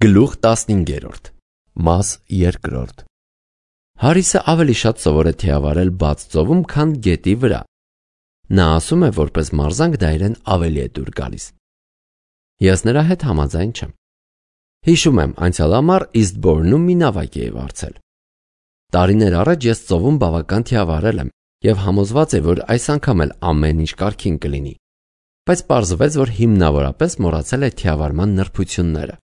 Գլուխ 15 Մաս 2 Հարիսը ավելի շատ սովոր է թիավարել բաց ծովում, քան գետի վրա։ Նա ասում է, որպես մարզանք դա իրեն ավելի է դուր գալիս։ Ես նրա հետ համաձայն չեմ։ Հիշում եմ, անցյալ ամառ Eastbourne-ում մի նավակ էի վարձել։ Տարիներ առաջ ես ծովում բավական թիավարել եմ եւ համոզված եմ, որ այս անգամ էլ ամեն ինչ կարգին կլինի։ Բայց պարզվեց, որ հիմնավորապես մոռացել է թիավարման նրբությունները։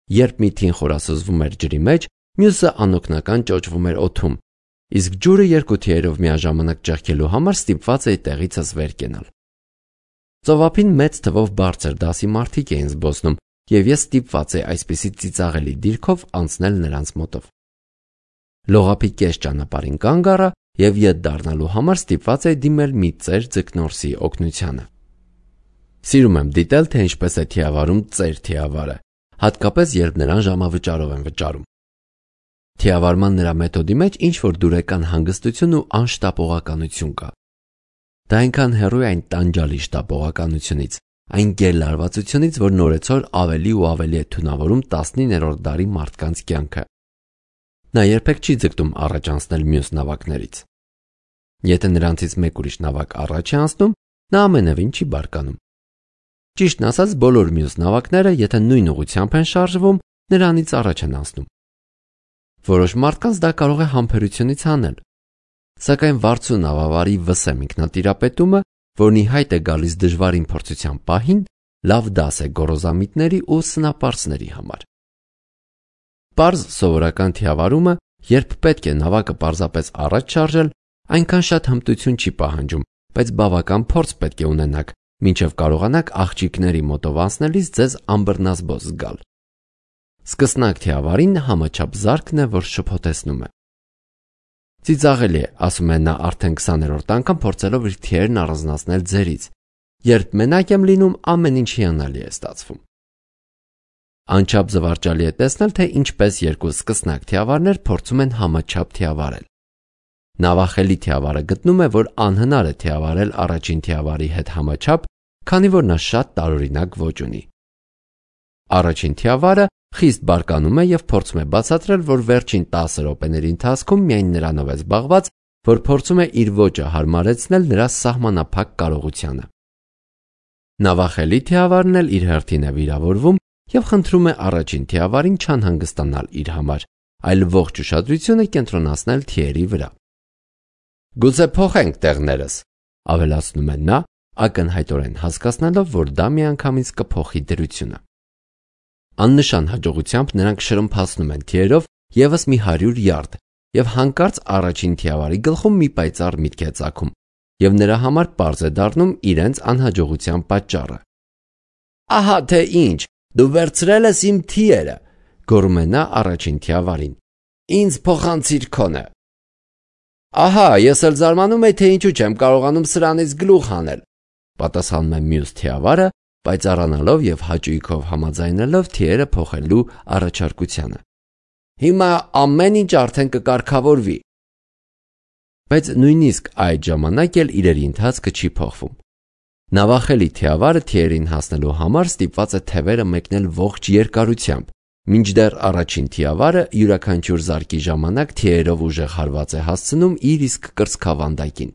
Երբ մի թին խորասուզվում էր ջրի մեջ, մյուսը անօգնական ճոճվում էր օդում, իսկ ջուրը երկու թիերով միաժամանակ ճեղքելու համար ստիպված էի տեղիցս վեր կենալ։ Ծովափին մեծ թվով բարձր դասի մարդիկ էին զբոսնում, եւ ես ստիպված էի այսպիսի ծիծաղելի դիրքով անցնել նրանց մոտով։ Լողափի կես ճանապարհին կանգ առա եւ ետ դառնալու համար ստիպված էի դիմել մի ծեր ձկնորսի օգնությանը։ Սիրում եմ դիտել, թե ինչպես է թիավարում ծեր թիավարը, հատկապես երբ նրան ժամավճարով են վճարում։ Թիավարման նրա մեթոդի մեջ ինչ-որ դուրեկան հանգստություն ու անշտապողականություն կա։ Դա այնքան հեռու է այն տանջալի շտապողականությունից, այն գերլարվածությունից, որ նորեցօր ավելի ու ավելի է թունավորում 19-րդ դարի մարդկանց կյանքը։ Նա երբեք չի ձգտում առաջ անցնել մյուս նավակներից։ Եթե նրանցից մեկ ուրիշ նավակ առաջ է անցնում, նա ամենևին չի բարկանում։ Ճիշտն ասած, բոլոր մյուս նավակները, եթե նույն ուղղությամբ են շարժվում, նրանից առաջ են անցնում։ Որոշ մարդկանց դա կարող է համբերությունից հանել, սակայն վարձու նավավարի վսեմ ինքնատիրապետումը, որն ի հայտ է գալիս դժվարին փորձության պահին, լավ դաս է գոռոզամիտների ու սնապարծների համար։ Պարզ սովորական թիավարումը, երբ պետք է նավակը պարզապես առաջ շարժել, այնքան շատ հմտություն չի պահանջում, բայց բավական փորձ պետք է ունենաք, մինչև կարողանաք աղջիկների մոտով անցնելիս ձեզ անբռնազբոս զգալ։ Սկսնակ թիավարին համաչափ զարկն է, որ շփոթեցնում է։ Ծիծաղելի է, ասում է նա արդեն 20-րդ անգամ փորձելով իր թիերն առանձնացնել ձերից։ Երբ մենակ եմ լինում, ամեն ինչ հիանալի է ստացվում։ Անչափ զվարճալի է տեսնել, թե ինչպես երկու սկսնակ թիավարներ փորձում են համաչափ թիավարել։ Նավախելի թիավարը գտնում է, որ անհնար է թիավարել առաջին թիավարի հետ համաչափ, քանի որ նա շատ տարօրինակ ոճ ունի։ Առաջին թիավարը խիստ բարկանում է եւ փորձում է բացատրել, որ վերջին 10 րոպեների ընթացքում միայն նրանով է զբաղված, որ փորձում է իր ոճը հարմարեցնել նրա սահմանափակ կարողությանը։ Նավախելի թիավարն էլ իր հերթին է վիրավորվում եւ խնդրում է առաջին թիավարին չանհանգստանալ իր համար, այլ ողջ ուշադրությունը կենտրոնացնել թիերի վրա։ Գուցե փոխենք տեղներս, ավելացնում է նա, ակնհայտորեն հասկացնելով, որ դա միանգամից կփոխի դրությունը։ Աննշան հաջողությամբ նրանք շրմփացնում են թիերով եւս մի 100 յարդ եւ հանկարծ առաջին թիավարի գլխում մի պայծառ միտք է ծագում եւ նրա համար պարզ է դառնում իրենց անհաջողության պատճառը։ Ահա թե ինչ, դու վերցրել ես իմ թիերը, գոռում է նա առաջին թիավարին։ Ինձ փոխանցիր քոնը։ Ահա, ես էլ զարմանում եմ, թե ինչու չեմ կարողանում սրանից գլուխ հանել, պատասխանում է մյուս թիավարը, պայծառանալով եւ հաճույքով համաձայնելով թիերը փոխելու առաջարկությանը։ Հիմա ամեն ինչ արդեն կկարգավորվի։ Բայց նույնիսկ այդ ժամանակ էլ իրերի ընթացքը չի փոխվում։ Նավախելի թիավարը թիերին հասնելու համար ստիպված է թևերը մեկնել ողջ երկարությամբ, մինչդեռ առաջին թիավարը յուրաքանչյուր զարկի ժամանակ թիերով ուժեղ հարված է հասցնում իր իսկ կրծքավանդակին։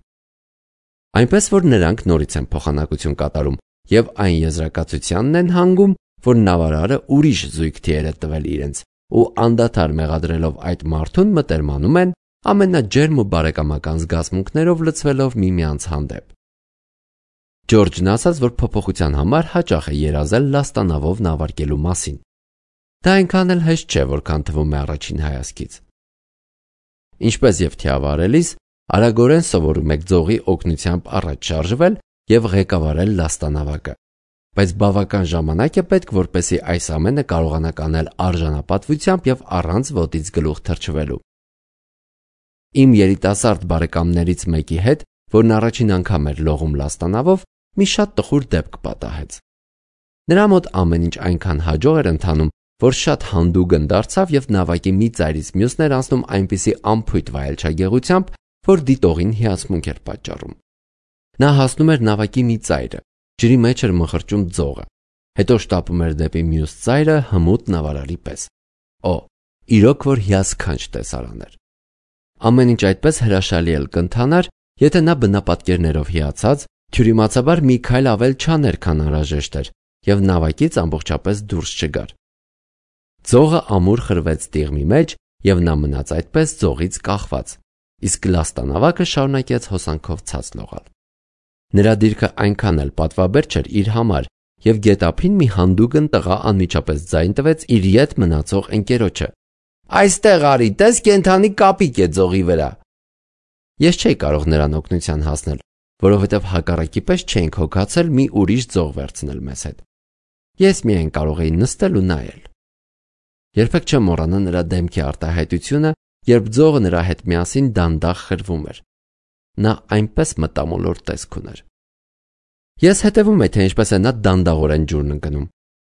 Այնպես որ նրանք նորից են փոխանակություն կատարում եւ այն եզրակացությանն են հանգում, որ նավարարը ուրիշ զույգ թիեր է տվել իրենց ու անդադար մեղադրելով այդ մարդուն մտերմանում են ամենաջերմ ու բարեկամական զգացմունքներով լցվելով միմյանց հանդեպ։ Ջորջն ասաց, որ փոփոխության համար հաճախ է երազել լաստանավով նավարկելու մասին։ Դա այնքան էլ հեշտ չէ, որքան թվում է առաջին հայացքից։ Ինչպես եւ թիավարելիս, արագորեն սովորում եք ձողի օգնությամբ առաջ շարժվել եւ ղեկավարել լաստանավակը, բայց բավական ժամանակ է պետք, որպեսզի այս ամենը կարողանաք անել արժանապատվությամբ եւ առանց ոտից գլուխ թռչվելու։ Իմ երիտասարդ բարեկամներից մեկի հետ, որն առաջին անգամ էր լողում լաստանավով, մի շատ տխուր դեպք պատահեց։ Նրա մոտ ամեն ինչ այնքան հաջող էր ընթանում, որ շատ հանդուգն դարձավ եւ նավակի մի ծայրից մյուսն էր անցնում այնպիսի անփույթ վայելչագեղությամբ, որ դիտողին հիացմունք էր պատճառում։ Նա հասնում էր նավակի մի ծայրը, ջրի մեջ էր մխրճում ձողը, հետո շտապում էր դեպի մյուս ծայրը հմուտ նավարարի պես։ Օ, իրոք որ հիասքանչ տեսարան էր։ Ամեն ինչ այդպես հրաշալի էլ կընթանար, եթե նա բնապատկերներով հիացած, թյուրիմացաբար մի քայլ ավել չաներ, քան անհրաժեշտ էր, եւ նավակից ամբողջապես դուրս չգար։ Ձողը ամուր խրվեց տիղմի մեջ, եւ նա մնաց այդպես ձողից կախված, իսկ լաստանավակը շարունակեց հոսանքով ցած լողալ։ Նրա դիրքը այնքան էլ պատվաբեր չէր իր համար, եւ գետափին մի հանդուգն տղա անմիջապես ձայն տվեց իր ետ մնացող ընկերոջը։ «Այստեղ արի, տես կենդանի կապիկ է ձողի վրա»։ Ես չէի կարող նրան օգնության հասնել, որովհետև հակառակի պես չէինք հոգացել մի ուրիշ ձող վերցնել մեզ հետ։ Ես միայն կարող էի նստել ու նայել։ Երբեք չեմ մոռանա նրա դեմքի արտահայտությունը, երբ ձողը նրա հետ միասին դանդաղ խրվում էր։ Նա այնպես մտամոլոր տեսք ուներ։ Ես հետևում էի, թե ինչպես է նա դանդաղորեն ջուրն ընկնում։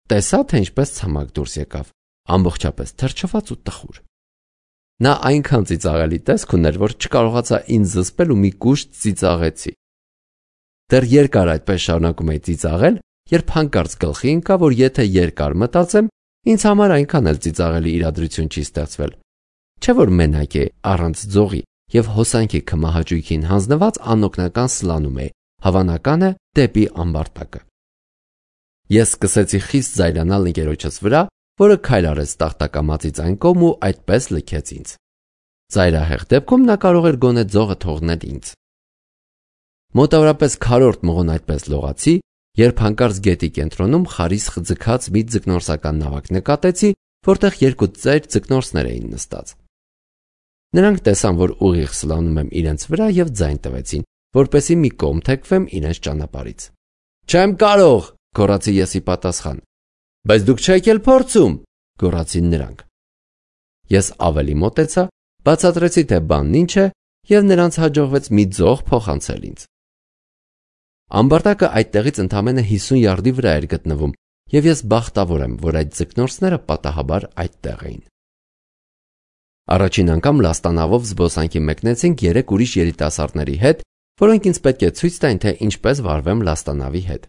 Տեսա, թե ինչպես ցամաք դուրս եկավ, ամբողջապես թրջված ու տխուր։ Նա այնքան ծիծաղելի տեսք ուներ, որ չկարողացա ինձ զսպել ու մի կուշտ ծիծաղեցի։ Դեռ երկար այդպես շարունակում էի ծիծաղել, երբ հանկարծ գլխի ընկա, որ եթե երկար մտածեմ, ինձ համար այնքան էլ ծիծաղելի իրադրություն չի ստեղծվել։ Չէ՞ որ մենակ է, առանց ձողի եւ հոսանքի քմահաճույքին հանձնված անօգնական սլանում է, հավանական է, դեպի ամբարտակը։ Ես սկսեցի խիստ զայրանալ ընկերոջս վրա, որը քայլ արեց տախտակամածից այն կողմ ու այդպես լքեց ինձ։ Ծայրահեղ դեպքում նա կարող էր գոնե ձողը թողնել ինձ։ Մոտավորապես քառորդ մղոն այդպես լողացի, երբ հանկարծ գետի կենտրոնում խարիսխ ձգած մի ձկնորսական նավակ նկատեցի, որտեղ երկու ծայր ձկնորսներ էին նստած։ Նրանք տեսան, որ ուղիղ սլանում եմ իրենց վրա եւ ձայն տվեցին, որպեսզի մի կողմ թեքվեմ իրենց ճանապարհից։ «Չեմ կարող», գոռացի ես ի պատասխան։ «Բայց դուք չեք էլ փորձում», գոռացին նրանք։ Ես ավելի մոտեցա, բացատրեցի, թե բանն ինչ է, եւ նրանց հաջողվեց մի ձող փոխանցել ինձ։ Ամբարտակը այդտեղից ընդամենը 50 յարդի վրա էր գտնվում, եւ ես բախտավոր եմ, որ այդ ձկնորսները պատահաբար այդտեղ էին։ Առաջին անգամ լաստանավով զբոսանքի մեկնեցինք 3 ուրիշ երիտասարդների հետ, որոնք ինձ պետք է ցույց տային, թե ինչպես վարվեմ լաստանավի հետ։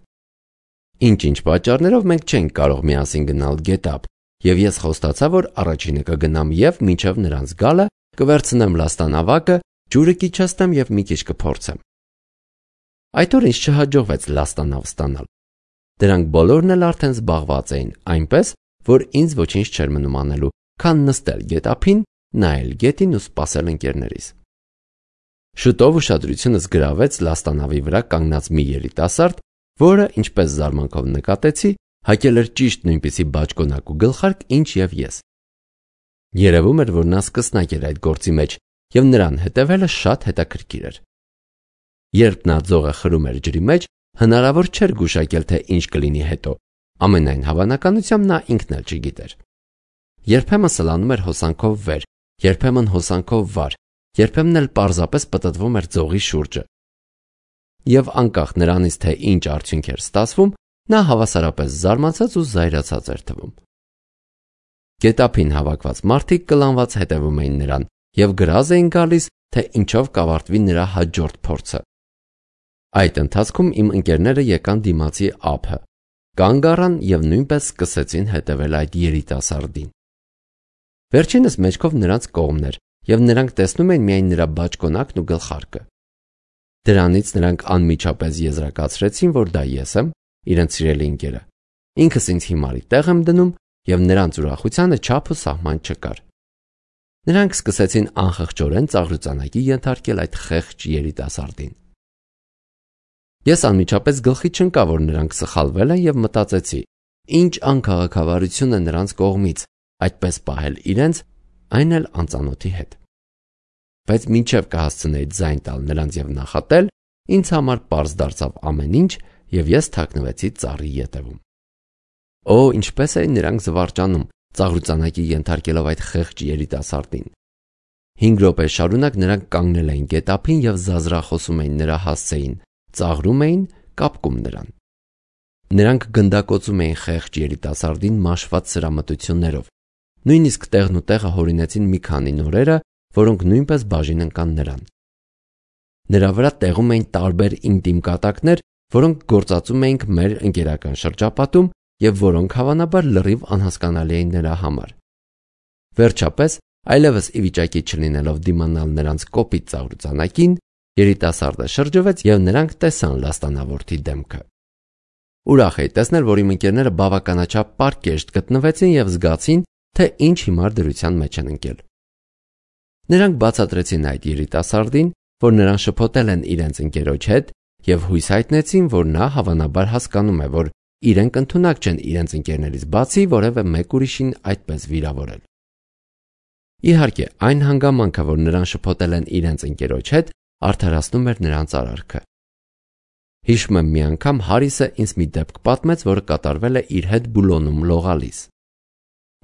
Ինչ-ինչ պատճառներով մենք չենք կարող միասին գնալ գետափ, եւ ես խոստացա, որ առաջինը կգնամ եւ մինչեւ նրանց գալը կվերցնեմ լաստանավակը, ջուրը կիչացնեմ եւ մի քիչ կփորձեմ։ Այդ օր ինձ չհաջողվեց լաստանավ ստանալ։ Դրանք բոլորն էլ արդեն զբաղված էին, այնպես, որ ինձ ոչինչ չէր մնում անելու, քան նստել գետափին, նայել գետին ու սպասել ընկերներիս։ Շուտով ուշադրությունս գրավեց լաստանավի վրա կանգնած մի երիտասարդ, որը, ինչպես զարմանքով նկատեցի, հագել էր ճիշտ նույնպիսի բաճկոնակ ու գլխարկ, ինչ եւ ես։ Երևում էր, որ նա սկսնակ էր այդ գործի մեջ, եւ նրան հետևելը շատ հետաքրքիր էր։ Երբ նա ձողը խրում էր ջրի մեջ, հնարավոր չէր գուշակել, թե ինչ կլինի հետո։ Ամենայն հավանականությամբ նա ինքն էլ չգիտեր։ Երբեմն սլանում էր հոսանքով վեր, երբեմն հոսանքով վար, երբեմն էլ պարզապես պտտվում էր ձողի շուրջը։ Եվ անկախ նրանից, թե ինչ արդյունք էր ստացվում, նա հավասարապես զարմացած ու զայրացած էր թվում։ Գետափին հավաքված մարդիկ կլանված հետևում էին նրան եւ գրազ էին գալիս, թե ինչով կավարտվի նրա հաջորդ փորձը։ Այդ ընթացքում իմ ընկերները եկան դիմացի ափը, կանգ առան եւ նույնպես սկսեցին հետևել այդ երիտասարդին։ Վերջինս մեջքով նրանց կողմն էր եւ նրանք տեսնում էին միայն նրա բաճկոնակն ու գլխարկը։ Դրանից նրանք անմիջապես եզրակացրեցին, որ դա ես եմ, իրենց սիրելի ընկերը։ Ինքս ինձ հիմարի տեղ եմ դնում եւ նրանց ուրախությանը չափ ու սահման չկար։ Նրանք սկսեցին անխղճորեն ծաղրուծանակի ենթարկել այդ խեղճ երիտասարդին։ Ես անմիջապես գլխի չընկա, որ նրանք սխալվել են եւ մտածեցի. ինչ անքաղաքավարություն է նրանց կողմից այդպես պահել իրենց, այն էլ անծանոթի հետ։ Բայց մինչև կհասցնեի ձայն տալ նրանց եւ նախատել, ինձ համար պարզ դարձավ ամեն ինչ եւ ես թաքնվեցի ծառի ետևում։ Օ, ինչպես էին նրանք զվարճանում, ծաղրուծանակի ենթարկելով այդ խեղճ երիտասարդին։ 5 րոպե շարունակ նրանք կանգնել էին գետափին եւ զազրախոսում էին նրա հասցեին, ծաղրում էին, կապկում նրան։ Նրանք գնդակոծում էին խեղճ երիտասարդին մաշված սրամտություններով։ Նույնիսկ տեղն ու տեղը հորինեցին մի քանի նորերը, որոնք նույնպես բաժին ընկան նրան։ Նրա վրա տեղում էին տարբեր ինտիմ կատակներ, որոնք գործածում էինք մեր ընկերական շրջապատում և որոնք հավանաբար լրիվ անհասկանալի էին նրա համար։ Վերջապես, այլևս ի վիճակի չլինելով դիմանալ նրանց կոպիտ ծաղրուծանակին, երիտասարդը շրջվեց և նրանք տեսան լաստանավորթի դեմքը։ Ուրախ էի տեսնել, որ իմ ընկերները բավականաչափ պարկեշտ գտնվեցին և զգացին, թե ինչ հիմար դրության մեջ են ընկել։ Նրանք բացատրեցին այդ երիտասարդին, որ նրան շփոթել են իրենց ընկերոջ հետ և հույս հայտնեցին, որ նա հավանաբար հասկանում է, որ իրենք ընդունակ չեն իրենց ընկերներից բացի որևէ մեկ ուրիշին այդպես վիրավորել։ Իհարկե, այն հանգամանքը, որ նրան շփոթել են իրենց ընկերոջ հետ, արդարացնում էր նրանց արարքը։ Հիշում եմ մի անգամ Հարիսը ինձ մի դեպք պատմեց, որը կատարվել է իր հետ Բուլոնում լողալիս։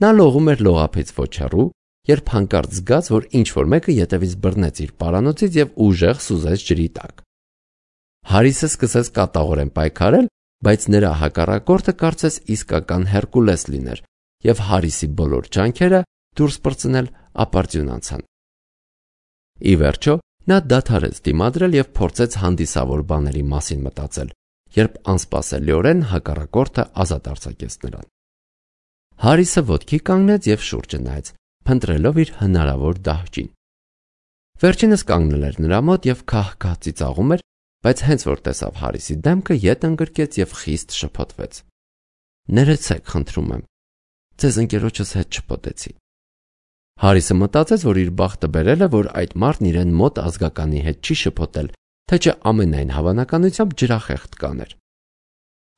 Նա լողում էր լողափից ոչ հեռու, երբ հանկարծ զգաց, որ ինչ-որ մեկը ետևից բռնեց իր պարանոցից և ուժեղ սուզեց ջրի տակ։ Հարիսը սկսեց կատաղորեն պայքարել, բայց նրա հակառակորդը կարծես իսկական Հերկուլես լիներ, և Հարիսի բոլոր ջանքերը դուրս պրծնել ապարդյուն անցան։ Ի վերջո, նա դադարեց դիմադրել և փորձեց հանդիսավոր բաների մասին մտածել, երբ անսպասելիորեն հակառակորդը ազատ արձակեց նրան։ Հարիսը ոտքի կանգնեց և շուրջը նայեց, փնտրելով իր հնարավոր դահճին։ Վերջինս կանգնել էր նրա մոտ և քահ-քահ ծիծաղում էր, բայց հենց որ տեսավ Հարիսի դեմքը, ետ ընկրկեց և խիստ շփոթվեց։ Ներեցեք, խնդրում եմ, ձեզ ընկերոջս հետ շփոթեցի։ Հարիսը մտածեց, որ իր բախտը բերել է, որ այդ մարդն իրեն մոտ ազգականի հետ չի շփոթել, թե չէ ամենայն հավանականությամբ ջրախեղդ կաներ։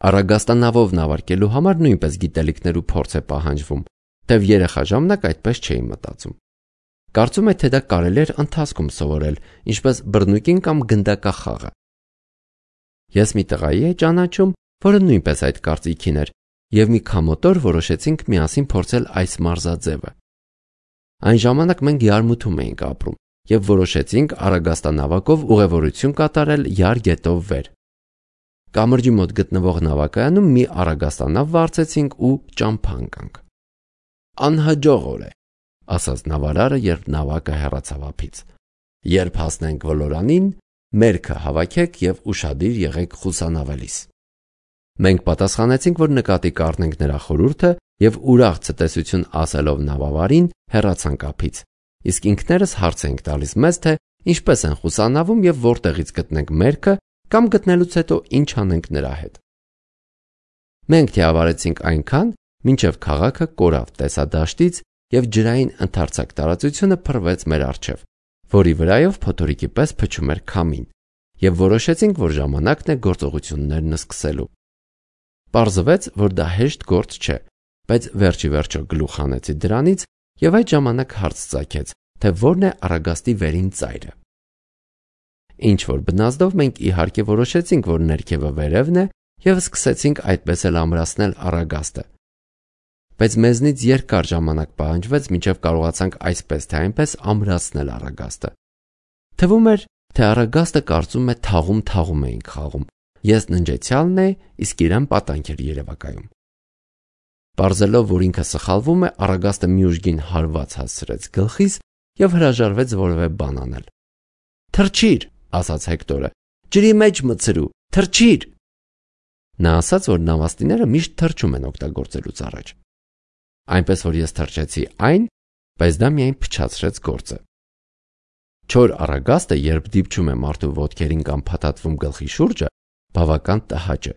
Առագաստանավով նավարկելու համար նույնպես գիտելիքներ ու փորձ է պահանջվում, թեև երեխա ժամանակ այդպես չէի մտածում։ Կարծում եմ, թե դա կարելի էր ընթացքում սովորել, ինչպես բռնուկին կամ գնդակախաղը։ Ես մի տղայի էի ճանաչում, որը նույնպես այդ կարծիքին էր, և մի քամոտ օր որոշեցինք միասին փորձել այս մարզաձևը։ Այն ժամանակ մենք Յարմութում էինք ապրում և որոշեցինք առագաստանավակով ուղևորություն կատարել Յար գետով վեր։ Կամրջի մոտ գտնվող նավակայանում մի առագաստանավ վարձեցինք ու ճամփա ընկանք։ Անհաջող օր է, ասաց նավարարը, երբ նավակը հեռացավ ափից։ Երբ հասնենք ոլորանին, մերքը հավաքեք և ուշադիր եղեք խուսանավելիս։ Մենք պատասխանեցինք, որ նկատի կառնենք նրա խորհուրդը և ուրախ ցտեսություն ասելով նավավարին հեռացանք ափից, իսկ ինքներս հարց էինք տալիս մեզ, թե ինչպես են խուսանավում և որտեղից գտնենք մերքը կամ գտնելուց հետո ինչ անենք նրա հետ։ Մենք թիավարեցինք այնքան, մինչև քաղաքը կորավ տեսադաշտից և ջրային ընդարձակ տարածությունը փռվեց մեր առջև, որի վրայով փոթորիկի պես փչում էր քամին, և որոշեցինք, որ ժամանակն է գործողություններն սկսելու։ Պարզվեց, որ դա հեշտ գործ չէ, բայց վերջի վերջո գլուխ հանեցի դրանից և այդ ժամանակ հարց ծագեց, թե որն է առագաստի վերին ծայրը։ Ինչ-որ բնազդով մենք իհարկե որոշեցինք, որ ներքևը վերևն է և սկսեցինք այդպես էլ ամրացնել առագաստը։ Բայց մեզնից երկար ժամանակ պահանջվեց, մինչև կարողացանք այսպես թե այնպես ամրացնել առագաստը։ Թվում էր, թե առագաստը կարծում է թաղում էինք խաղում։ Ես ննջեցյալն էի, իսկ իրեն պատանք էր երևակայում։ Պարզելով, որ ինքը սխալվում է, առագաստը մի ուժգին հարված հասցրեց գլխիս և հրաժարվեց որևէ բան անել։ Թռչիր, ասաց Հեկտորը, ջրի մեջ մտցրու, թռչիր։ Նա ասաց, որ նավաստիները միշտ թռչում են օգտագործելուց առաջ։ Այնպես որ ես թռչեցի այն, բայց դա միայն փչացրեց գործը։ Չոր առագաստը, երբ դիպչում է մարդու ոտքերին կամ փաթաթվում գլխի շուրջը, բավական տհաճ է,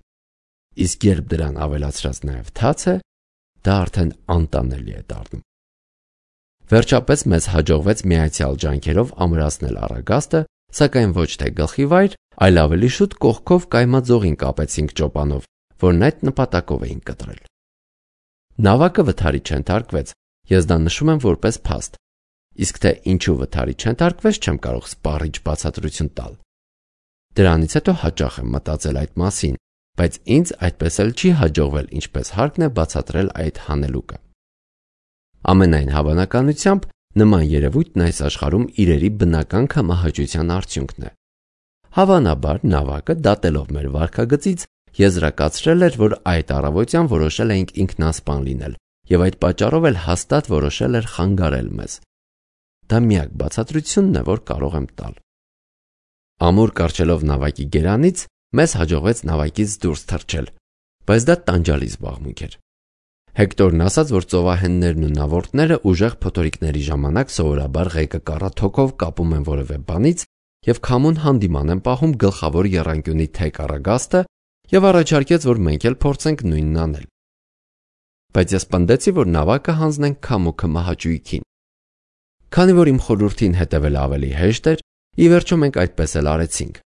իսկ երբ դրան ավելացրած նաև թաց է, դա արդեն անտանելի է դառնում։ Վերջապես մեզ հաջողվեց միայցյալ ջանքերով ամրացնել առագաստը, սակայն ոչ թե գլխի վայր, այլ ավելի շուտ կողքով կայմաձողին կապեցինք ճոպանով, որն այդ նպատակով էինք կտրել։ Նավակը վթարի չենթարկվեց, ես դա նշում եմ որպես փաստ, իսկ թե ինչու վթարի չենթարկվեց, չեմ կարող սպառիչ բացատրություն տալ։ Դրանից հետո հաճախ եմ մտածել այդ մասին, բայց ինձ այդպես էլ չի հաջողվել ինչպես հարկն է բացատրել այդ հանելուկը։ Ամենայն հավանականությամբ նման երևույթն այս աշխարհում իրերի բնական կամահաճության արդյունքն է։ Հավանաբար նավակը դատելով մեր վարքագծից եզրակացրել էր, որ այդ առավոտյան որոշել էինք ինքնասպան լինել և այդ պատճառով էլ հաստատ որոշել էր խանգարել մեզ։ Դա միակ բացատրությունն է, որ կարող եմ տալ։ Ամուր կառչելով նավակի գերանից, մեզ հաջողվեց նավակից դուրս թռչել, բայց դա տանջալի զբաղմունք էր։ Հեկտորն ասաց, որ ծովահեններն ու նավորդները ուժեղ փոթորիկների ժամանակ սովորաբար ղեկը կառաթոքով կապում են որևէ բանից եւ քամուն հանդիման են պահում գլխավոր եռանկյունի թեք առագաստը եւ առաջարկեց, որ մենք էլ փորձենք նույնն անել։ Բայց ես պնդեցի, որ նավակը հանձնենք քամուկը մահաճույքին։ Քանի որ իմ խորհրդին հետևելը ավելի հեշտ էր, ի վերջո մենք այդպես էլ արեցինք,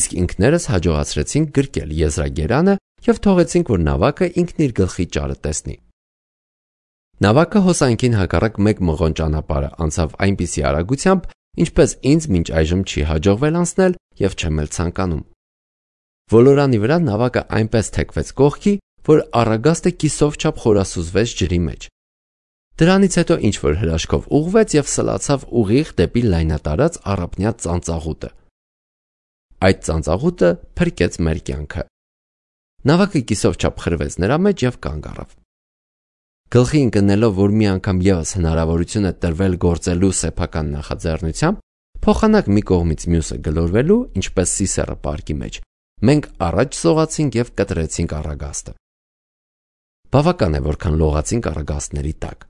իսկ ինքներս հաջողացրեցինք գրկել եզրագերանը եւ թողեցինք, որ նավակը ինքն իր գլխի ճարը տեսնի։ Նավակը հոսանքին հակառակ մեկ մղոն ճանապարհը անցավ այնպիսի արագությամբ, ինչպես ինձ մինչ այժմ չի հաջողվել անցնել եւ չեմ էլ ցանկանում։ Ոլորանի վրա նավակը այնպես թեքվեց կողքի, որ առագաստը կիսով չափ խորասուզվեց ջրի մեջ։ Դրանից հետո ինչ-որ հրաշքով ուղղվեց եւ սլացավ ուղիղ դեպի լայնատարած առափնյա ծանծաղուտը։ Այդ ծանծաղուտը փրկեց մեր կյանքը։ Նավակը կիսով չափ խրվեց նրա մեջ եւ կանգ առավ։ Գլխի ընկնելով, որ մի անգամ եւս հնարավորություն է տրվել գործելու սեփական նախաձեռնությամբ, փոխանակ մի կողմից մյուսը գլորվելու, ինչպես սիսեռը պարկի մեջ, մենք առաջ սողացինք եւ կտրեցինք առագաստը։ Բավական է, որքան լողացինք առագաստների տակ։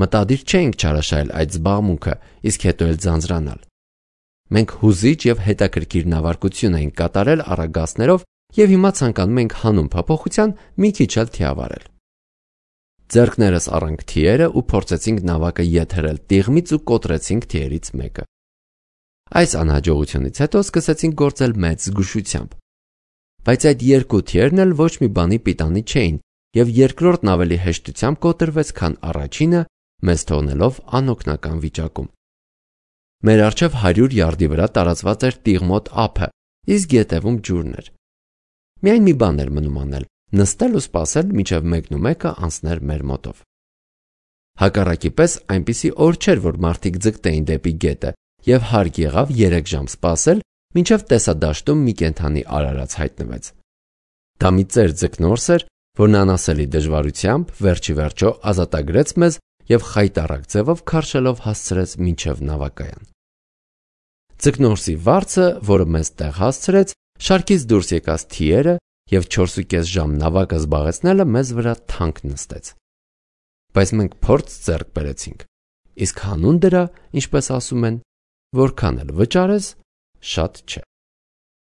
Մտադիր չէինք չարաշահել այդ զբաղմունքը, իսկ հետո էլ ձանձրանալ։ Մենք հուզիչ եւ հետաքրքիր նավարկություն էինք կատարել առագաստներով եւ հիմա ցանկանում ենք հանուն փոփոխության մի քիչ էլ թիավարել։ Ձեռքներս առանք թիերը ու փորձեցինք նավակը եթերել տիղմից ու կոտրեցինք թիերից մեկը։ Այս անհաջողությունից հետո սկսեցինք գործել մեծ զգուշությամբ։ Բայց այդ երկու թիերն էլ ոչ մի բանի պիտանի չէին եւ երկրորդն ավելի հեշտությամբ կոտրվեց, քան առաջինը, մեզ թողնելով անօգնական վիճակում։ Մեր առջև 100 յարդի վրա տարածված էր տիղմոտ ափը, իսկ ետևում ջուրն էր։ Միայն մի բան էր մնում անել՝ նստել ու սպասել, մինչև մեկն ու մեկը անցներ մեր մոտով։ Հակառակի պես այնպիսի օր չէր, որ մարդիկ ձգտեին դեպի գետը եւ հարկ եղավ 3 ժամ սպասել, մինչև տեսադաշտում մի կենդանի արարած հայտնվեց։ Դա մի ծեր ձկնորս էր, որն անասելի դժվարությամբ վերջի վերջո ազատագրեց մեզ եւ խայտառակ ձևով քարշելով հասցրեց մինչև նավակայան։ Ձկնորսի վարձը, որը մեզ տեղ հասցրեց, շարքից դուրս եկած թիերը եւ 4.5 ժամ նավակը զբաղեցնելը մեզ վրա թանկ նստեց։ Բայց մենք փորձ ձեռք բերեցինք, իսկ հանուն դրա, ինչպես ասում են, որքան էլ վճարես, շատ չէ։